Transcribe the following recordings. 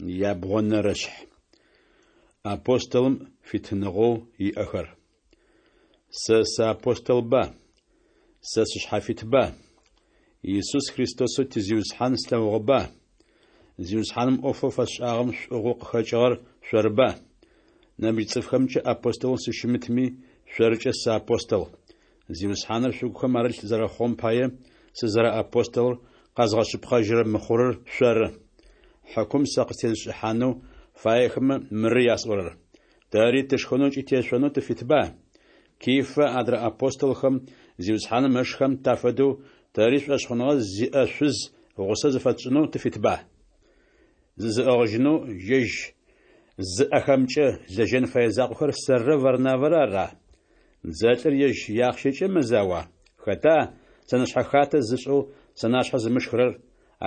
Ябгъонэрэшъхь. Апостолым фитыныгъэу иӏэхэр. Сэ сыапостолба? Сэ сышъхьафитба? Исус Христосэу ти Зиусхьан слъэгъугъэба? Зиусхьаным ӏофэу фэсшӏагъэм шӏугъэу къыхэкӏыгъэр шъорыба? Нэмыкӏ цӏыфхэмкӏэ апостолэу сыщымытми, шъоркӏэ сыапостол. Зиусхьаныр шъугухэм арылъ зэрэхъугъэм пае, сызэрэапостолыр къэзгъэшъыпкъэжьырэ мыхъурыр шъоры. Хьыкум сэ къыстезышӏыхьанэу фаехэмэ мыры ясӏорэр: Тэри тышхэнэу ыкӏи тешъонэу тыфитба? Кифэ, адрэ апостолхэм, Зиусхьаным ышхэм тафэдэу, тэри шӏошъхъуныгъэ зиӏэ шъуз гъусэ зыфэтшӏынэу тыфитба? Зызыӏыгъыжьынэу ежь зыӏэхэмкӏэ лэжьэн фэе закъохэр сэррэ Варнавэрэ ара? Дзэлӏыр ежь иахъщэкӏэ мэзауа? Хэта сэнэшъхьэ хатэ зышӏэу сэнашъхьэ зымышхырэр?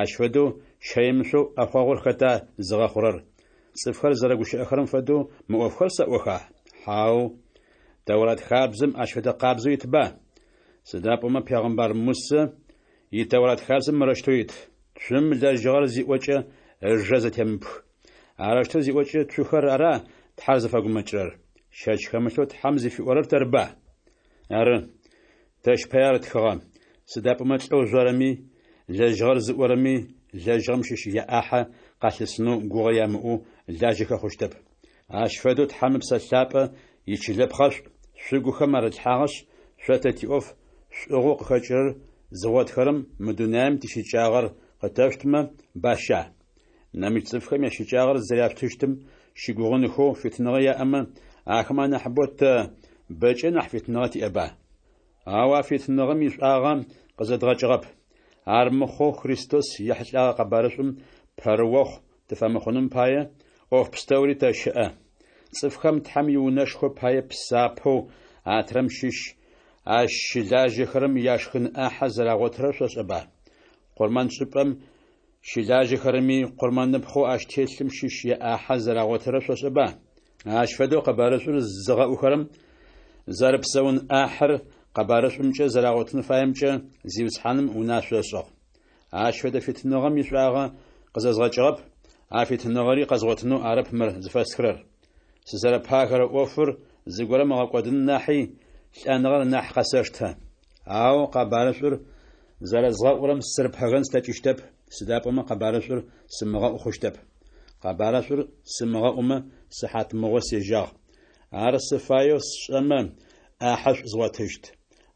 Ащ фэдэу щэемышъоу ӏэхъогъур хэта зыгъэхъурэр? Цӏыфхэр зэрэгущыӏэхэрэм фэдэу мы ӏофхэр сэӏоха? Хьау! Тэурат хабзэм ащ фэдэ къабзэу итба? Сыда пӏомэ пегъэмбар Мусэ и Тэурат хабзэм мырэущтэу ит: Цум лэжьыгъэр зиӏокӏэ, ыжэ зэтемыпх. Арэущтэу зиӏокӏэ цухэр ара Тхьэр зыфэгумэкӏырэр? Щэч хэмылъэу Тхьэм зыфиӏорэр тэрба? Ары, тэщ пае ар тхыгъэ, сыда пӏомэ лӏэу жъорэми, лэжьыгъэр зыӏорэми лэжьыгъэм щыщ яӏахьэ къалъысынэу гугъэ ямыӏэу лажьэхэ хъущтэп. Ащ фэдэу Тхьэм Ыпсэ Лъапӏэ ичылэпхъэшӏу шъугухэм арытлъхьагъэшъ, шъо тэ тиӏоф шӏугъэу къыхэкӏырэр зыгъотхэрэм мы дунаим тищыкӏагъэр къытэшъутмэ, баща? Нэмыкӏ цӏыфхэм ящыкӏагъэр зэряшъутыщтым щыгугъынхэу фитыныгъэ яӏэмэ, ахэмэ анахьыбэу тэ бэкӏэ нахь фитыныгъэ тиӏэба? Ау а фитыныгъэм ишӏуагъэ къызэдгъэкӏыгъэп. Ар мыхъоу Христос ехьылӏэгъэ къэбарышӏум пэрыохъу тыфэмыхъуным пае, ӏоф пстэури тэщыӏэ. Цӏыфхэм Тхьэм иунэшхо пае псапэу атырэм щыщ ащ щылажьэхэрэм яшхын ӏахьэ зэрагъотырэр шъошӏэба? Къурмэншӏыпӏэм щылажьэхэрэми къурмэныпхъэу ащ телъым щыщ яӏахьэ зэрагъотырэр шъошӏэба? Ащ фэдэу къэбарышӏур зыгъэӏухэрэм зэрыпсэун ӏахьыр къэбарышӏумкӏэ зэрагъотын фаемкӏэ Зиусхьаным унашъо ышӏыгъ. Ащ фэдэ фитыныгъэм ишӏуагъэ къызэзгъэкӏыгъэп, а фитыныгъэри къэзгъотынэу арэп мыр зыфэстхырэр. Сызэрэпагэрэ ӏофыр зыгорэм ыгъэкӏодын нахьи, лӏэныгъэр нахь къэсэштэ. Ау къэбарышӏур зэрэзгъэӏурэм сырыпэгэн слъэкӏыщтэп, сыда пӏомэ къэбарышӏур сымыгъэӏу хъущтэп. Къэбарышӏур сымыгъэӏумэ, сыхьатмыгъо сежьагъ. Ар сыфаеу сшӏэмэ, ӏахьэшӏу згъотыщт.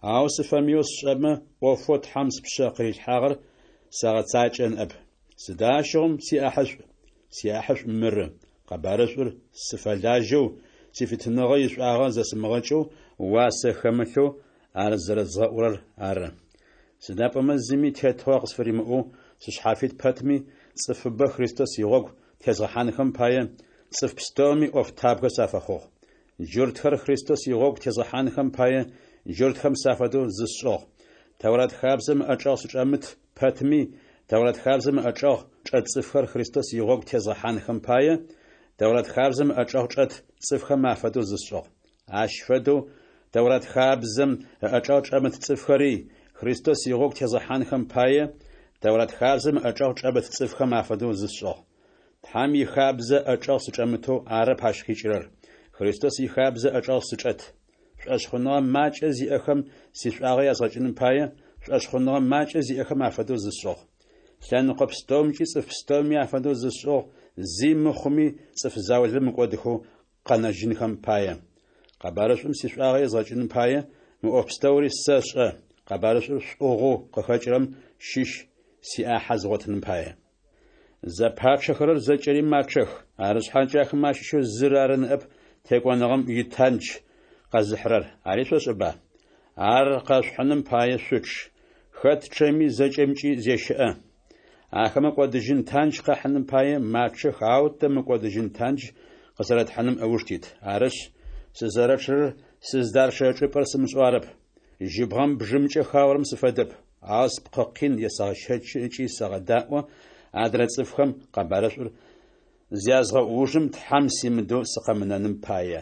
Ау сыфэмыеу сшӏэмэ, ӏофэу Тхьэм спшъэ къырилъхьагъэр сэгъэцакӏэ ныӏэп. Сыда ащыгъум сиӏахьышӏу? Сиӏахьышӏу мыры: къэбарышӏур сыфэлажьэу, сифитыныгъэ ишӏуагъэ зэсымыгъэкӏэу, уасэ хэмылъэу ар зэрэзгъэӏурэр ары. Сыда пӏомэ зыми тетыгъо къысфыримыӏэу сышъхьафит пэтми, цӏыфыбэ Христос игъогу тезгъэхьанхэм пае, цӏыф пстэуми ӏофтабгэ сафэхъугъ. Джуртхэр Христос игъогу тезгъэхьанхэм пае, джуртхэм сафэдэу зысшӏыгъ. Тэурат хабзэм ыӏэчӏэгъ сычӏэмыт пэтми, Тэурат хабзэм ыӏэчӏэгъ чӏэт цӏыфхэр Христос игъогу тезгъэхьанхэм пае, Тэурат хабзэм ыӏэчӏэгъ чӏэт цӏыфхэм афэдэу зысшӏыгъ. Ащ фэдэу Тэурат хабзэм ыӏэчӏэгъ чӏэмыт цӏыфхэри Христос игъогу тезгъэхьанхэм пае, Тэурат хабзэм ыӏэчӏэгъ чӏэмыт цӏыфхэм афэдэу зысшӏыгъ. Тхьэм ихабзэ ӏэчӏэгъ сычӏэмытэу арэп ащ къикӏырэр, Христос ихабзэ ӏэчӏэгъ сычӏэт. Шӏошъхъуныгъэ макӏэ зиӏэхэм сишӏуагъэ язгъэкӏыным пае, шӏошъхъуныгъэ макӏэ зиӏэхэм афэдэу зысшӏыгъ. Лъэныкъо пстэумкӏи цӏыф пстэуми афэдэу зысшӏыгъ, зи мыхъуми цӏыф заулэ мыкӏодыхэу къэнэжьынхэм пае. Къэбарышӏум сишӏуагъэ езгъэкӏыным пае, мы ӏоф пстэури сэшӏэ, къэбарышӏур шӏугъэу къыхэкӏырэм щыщ сиӏахьэ згъотыным пае. Зэпачъэхэрэр зэкӏэри мачъэх, арышъхьакӏэ ахэмэ ащыщэу зыр ары ныӏэп текӏоныгъэм итандж къэзыхьырэр, ари шъошӏэба? Ар къэшъухьыным пае шъучъ. Хэт чъэми зэкӏэмкӏи зещыӏэ. Ахэмэ кӏодыжьын тандж къахьыным пае мачъэх, ау тэ мыкӏодыжьын тандж къызэрэтхьыным ыуж тит. Арышъ, сызэрэчъэрэр сыздарчъэрэ чӏыпӏэр сымышӏэу арэп. Жьыбгъэм бжымкӏэ хаорэм сыфэдэп, ау спкъы къин есэгъэщэчы ыкӏи сэгъэдаӏо адрэ цӏыфхэм къэбарышӏур зязгъэӏу ужым Тхьэм симыдэу сыкъэмынэным пае.